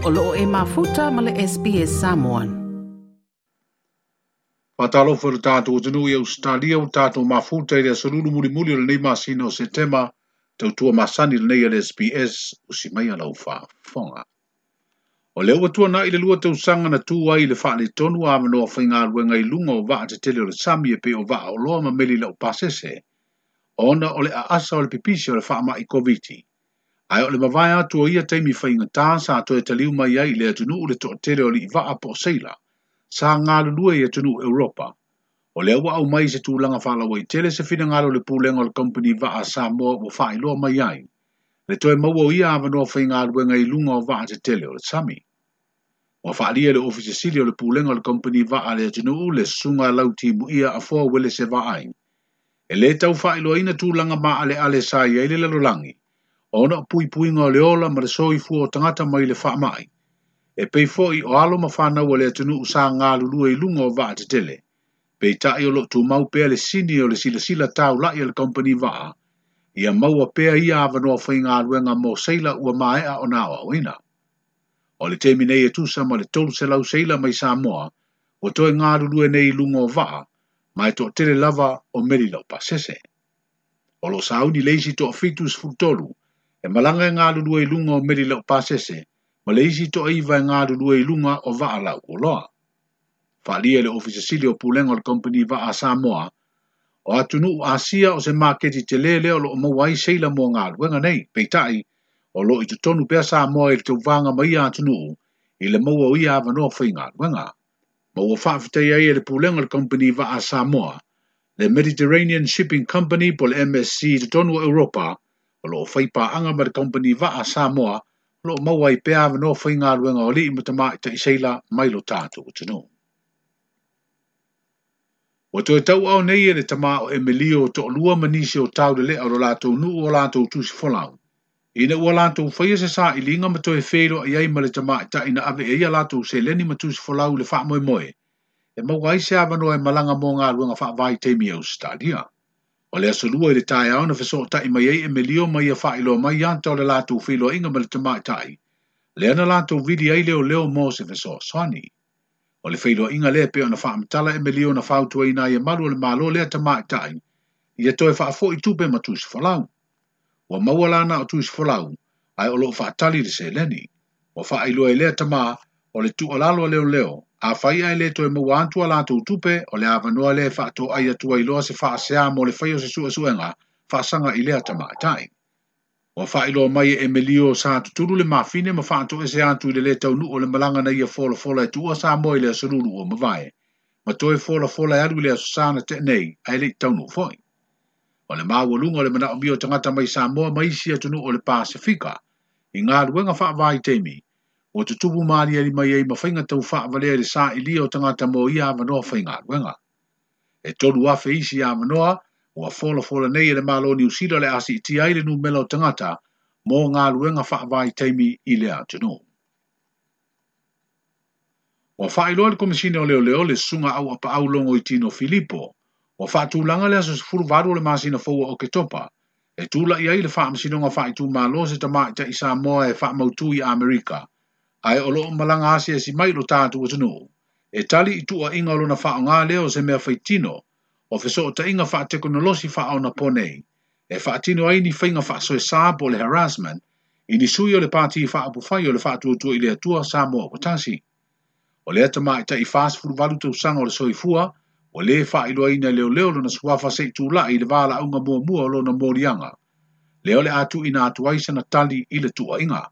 O lo o e mafuta ma le SBS Samoan. Faatalofa i le tatou atunuu i Ausetalia ua tatou mafuta i le aso lulu mulimuli o lenei masina o Setema, tautua masani lenei a le SBS, usi maia lau faafofoga. O lea ua tuanai le 2 tausaga na tu ai le faaletonu o avanoa faigaluega i luga o vaa tetele o le sami e pei o vaa oloa ma meli lau pasese, ona o le aasa o le pipisi o le faamai Koviti. Ae o le mavae atu o ia taimi faigata sa toe taliu mai ai i le atunuu le toatele o alii vaa po o seila, sa galulue i atunuu Europa. O lea ua aumai se tulaga faalauaitele se finagalo o le pulega o le Kamupani Vaa a Samoa ua faailoa mai ai le toe maua o ia avanoa faigaluega i luga o vaa tetele o le sami. Ua faaalia e le Ofisa Sili o le Pulega o le Kamupani Vaa a le atunuu le susuga Lautimuia Afoa Uelese Vaai. E le tau faailoaina tulaga maaleale sa i ai le lalolagi, ona o puipuiga o le ola ma le soifua o tagata mai le faamai. E pei foi o alo ma fanau a le atunuu sa galulue i luga o vaa tetele. Peitai o loo tumau pea le sini o le silasila taulai a le Kamupani Vaa, ia maua pea ia avanoa faigaluega mo seila ua maea ona aoaoina. O le taimi nei e tusa ma le 300 seila mai Samoa, ua toe galulue nei i luga o vaa, ma e toatele lava o meli laupasese. O lo sauni le isi toa 73, e malaga e galulue i luga o meli laupasese, ma le isi toa 9 e galulue i luga o vaa lau oloa. Faaalia e le Ofisa Sili o Pulega o le Kamupani Vaa a Samoa, o atunuu Asia o se maketi tele lea o loo maua ai seila mo galuega nei. Peitai, o loo i totonu pea Samoa i le tauvaga ma ia atunuu i le maua o ia avanoa faigaluega. Ma ua faafetai ai e le pulega o le Kamupani Vaa a Samoa, le Mediterranean Shipping Company po o le MSC i totonu o Europa, o loo faipaaga ma le Kamupani Vaa a Samoa, o loo maua ai pea avanoa faigaluega o alii ma tamaitai seila mai lo tatou atunuu. Ua toe tauao nei e le tama o Emilio toalua ma nisi o taulelea o lo latou nuu o latou tusi folau. Ina ua latou faia se sailiga ma toe feiloai ai ma le tamaitai na ave e ia latou seleni ma tusi folau i le faamoemoe, e maua ai se avanoa e malaga mo galuega faavaitaimi i Ausetalia. O le aso lua i le taeao na fesootai mai ai Emilio ma ia faailoa mai ata o le latou feiloaiga ma le tamaitai, lea na latou vili ai leoleo mo se fesoasoani. O le feiloaiga lea pei ona faamatala Emilio na fautuaina ai e malu o le Malo lea tamaitai, ia toe faafoi tupe ma tusi folau. Ua maua lana o tusi folau, ae o loo faatali le seleni. Ua faailoa e lea tama o le tuualalo a leoleo, afai ae le toe maua atu a latou tupe, o le avanoa lea e faatoai atu ai loa se faasea mo le fai o se suesuega faasaga i lea tamaitai. Ua faailoa mai e Emilio sa tutulu le mafine ma faatoese atu i le le taunuu o le malaga na ia folafola e tuua Samoa i le aso lulu ua mavae, ma toe folafola e alu i le aso Sa na tea nei, ae le i taunuu foi. O le maualuga o le manaomia o tagata mai Samoa ma isi atunuu o le Pasefika, i galuega faavaitaimi, ua tutupu maaliali mai ai ma faiga tau faavalea i le sailia o tagata mo ia avanoa faigaluega. E 3,000 isi avanoa, ua folafola nei e le Malo o Niu Sila le a siitia ai le numera o tagata mo galuega faavaitaimi i le atunuu. Ua faailoa le Komisina o Leoleo le susuga Auapaau Logoitino Filipo, ua faatulaga le aso 18 o le masina fou o Oketopa, e tulai ai le faamasinoga faaitumalo se tamaitai Samoa e faamautu i Amerika, ae o loo malaga asiasi mai lo tatou atunuu, e tali i tuuaiga o lona faaaoga lea o se mea faitino, o fesootaiga faatekonolosi faaonaponei, e faatino ai ni faiga faasoesa po o le harassment, i ni sui o le pati faaupufai o le faatuatua i le Atua Samoa ua tasi. O lea tamaitai 48 tausaga o le soifua, ua le faailoaina e leoleo lona suafa se i tulai i le valaauga muamua o lona moliaga, lea o le a tuuina atu ai sana tali i le tuuaiga.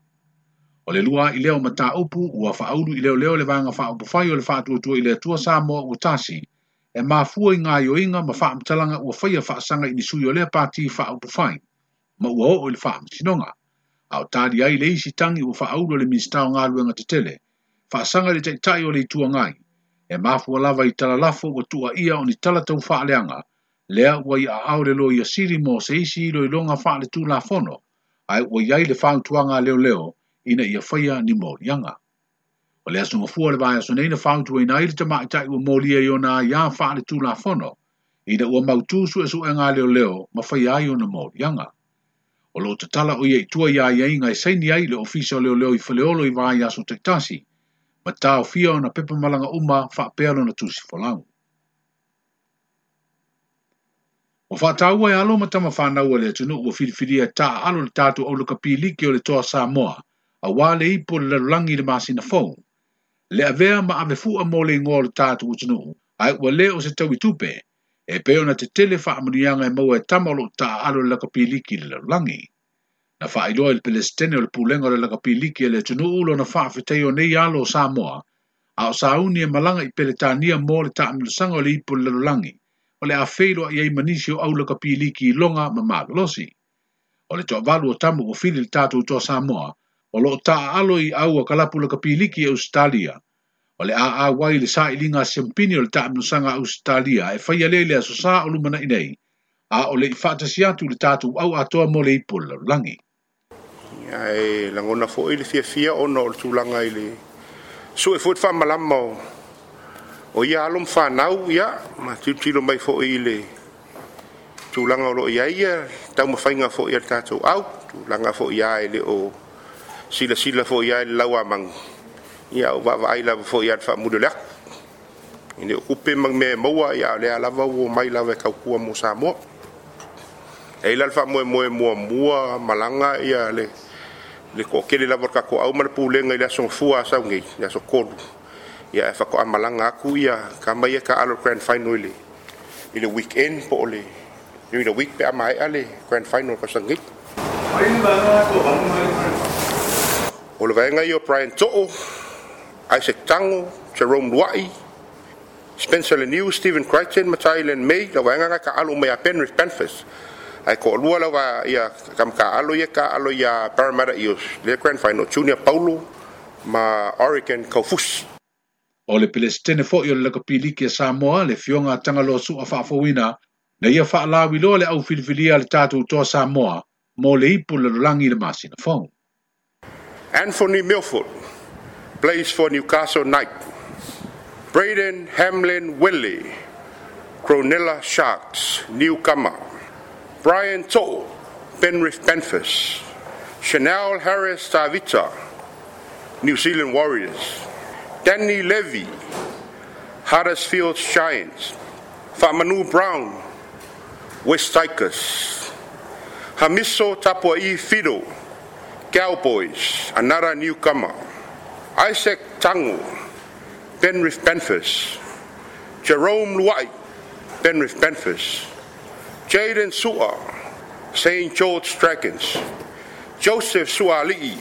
O le lua ai lea o mataupu ua faaulu i leoleo le vaega faaupufai o le faatuatua i le Atua Samoa ua tasi, e mafua i gaoioiga ma faamatalaga ua faia faasaga i ni sui o lea pati faaupufai, ma ua oo i le faamasinoga. A o tali ai le isi tagi ua faaulu e le Minisita o Galuega Tetele, faasaga i le taitai o le Itu Agai, e mafua lava i talalafo ua tuuaia o ni tala tau faaleaga, lea ua i aao le loia sili mo se isi iloiloga faaletulafono, ae ua i ai le fautuaga a leoleo ina ia faia ni moliaga. O le aso gafua o le vaiaso nei na fautuaina ai le tamaitai ua molia i ona aiā faaletulafono, ina ua mautu suesuega a leoleo ma faia ai ona moliaga. O lo o tatala o ia i tua i aiaiga e saini ai le Ofisa o Leoleo i Faleolo i vaiaso taitasi, ma taofia ona pepa malaga uma faapea lona tusi folau. Ua faataua e alo ma tama fanau a le atunuu ua filifilia e taaalo le tatou au lakapi liki o le Toa Samoa, auā le ipu o le lalolagi i le masina fou. Le avea ma ave fua mo le igoa o le tatou atunuu, ae ua le o se taui tupe, e pei ona tetele faamanuiaga e maua e tama o lo o taaalo le lakapi liki i le lalolagi. Na faailoa i le Pelesitene o le Pulega o le Lakapi Liki a le atunuu lona faafetai o nei alo o Samoa, a o sauni e malaga i Peretania mo le taamilosaga o le ipu o le lalolagi, o le a feiloai ai ma nisi o au lakapi liki i loga ma malolosi. O le toavalu o tama ua fili le tatou Toa Samoa, o lo o taaalo i au a kalapu lakapi liki i Ausetalia, o le a auai i le sailiga a siampini o le taamilosaga a Ausetalia e faia lea i le Aso Sa o lumanai nei, a o le i faatasi atu i le tatou au atoa mo le ipu o le lalolagi. Ae lagona foi le fiafia ona o le tulaga i le sue foi le faamalama o ia alo ma fanau, ia, ma tilotilo mai foi i le tulaga o lo o i ai ia taumafaiga foi a le tatou au, tulaga foi ia e le o silasila foi ia i le lauamagu, ia o vaavaai lava foi ia le faamuli o le aku. E le o tupe ma mea e maua, ia o lea lava ua omai lava e tautua mo Samoa. E i ai la le faamoemoe muamua malaga ia le toatele lava o le tatou au ma le pulega i le aso Gafua a sau nei, le aso 3, ia e faatoa malaga atu ia tama ia taalo le grand final i le weekend po o le during the week pe a maea le grand final o le tausaga nei. O le vaega ia o Brian To'o, Isaac Tango, Jerome Luai, Spencer Leniu, Stephen Crichton ma Thailand May, lau vaega na taalo uma ia Penrith Panthers. Ae toalua lava ia tama taalo ia taalo ia Parramatta Eels le grand final, Junior Paulo ma Oregon Kaufusi. O le Pelesitene foi o le Lakapi Liki a Samoa, le Afioga a Tagaloa Su'a Faafouina, na ia faalauiloa le au filifilia a le tatou Toa Samoa mo le ipu lalolagi i le masina fou. Anthony Milford plays for Newcastle Knight. Braden Hamlin Willie, Cronulla Sharks, newcomer. Brian To'o, Penrith Panthers. Chanel Harris Tavita, New Zealand Warriors. Danny Levy, Huddersfield Giants. Fa'amanu Brown, West Tigers. Hamiso Tapua'i Fido, Cowboys, another newcomer. Isaac Tango, Penrith Panthers. Jerome Luai, Penrith Panthers. Jaden Su'a, St George Dragons. Joseph Suaalii,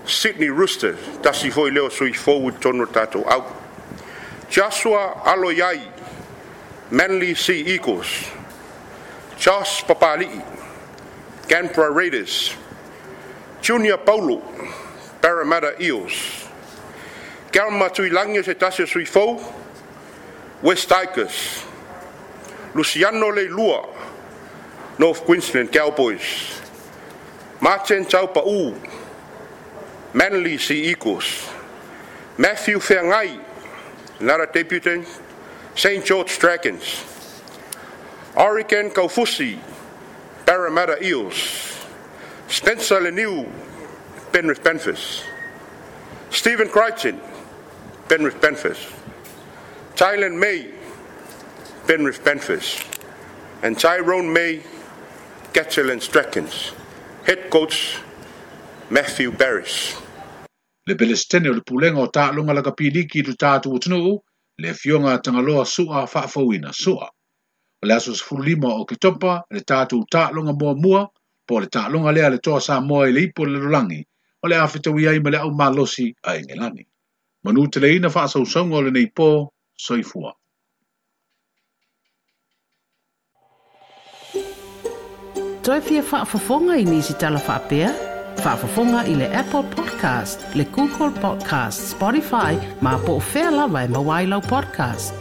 Sydney Roosters, tasi foi lea o sui fou i totonu o le tatou au. Joshua Aloiai, Manly Sea Eagles. Josh Papali'i, Canberra Raiders. Junior Paulo, Parramatta Eels. Kelma Tuilagi o se tasi o sui fou, West Tigers. Luciano Leilua, North Queensland Cowboys. Martin Taupa'u, Manly Sea Eagles. Matthew Feagai, another debutant, St George Dragons. Oregon Kaufusi, Parramatta Eels. Spencer Leniu, Penrith Panthers. Stephen Crichton, Penrith Panthers. Thailand May, Penrith Panthers. And Tyrone May, Catalans Dragons. Head coach, Matthew Barris. Le Pelesitene o le Pulega o Taaloga Lakapi Liki i lo tatou atunuu, le Afioga a Tagaloa Su'a Faafouina Su'a. O le aso 15 o Oketopa, le tatou taaloga muamua, po o le taaloga lea a le Toa Samoa i le ipu o le lalolagi, o le a fetaui ai ma le au malosi a Engelani. Manuteleina faasausauga o lenei po, soifua. Toe fia faafofoga i nisi tala faapea? Faafofoga i le Apple Podcast, le Google Podcast, Spotify, ma po o fea lava e maua ai lau podcast.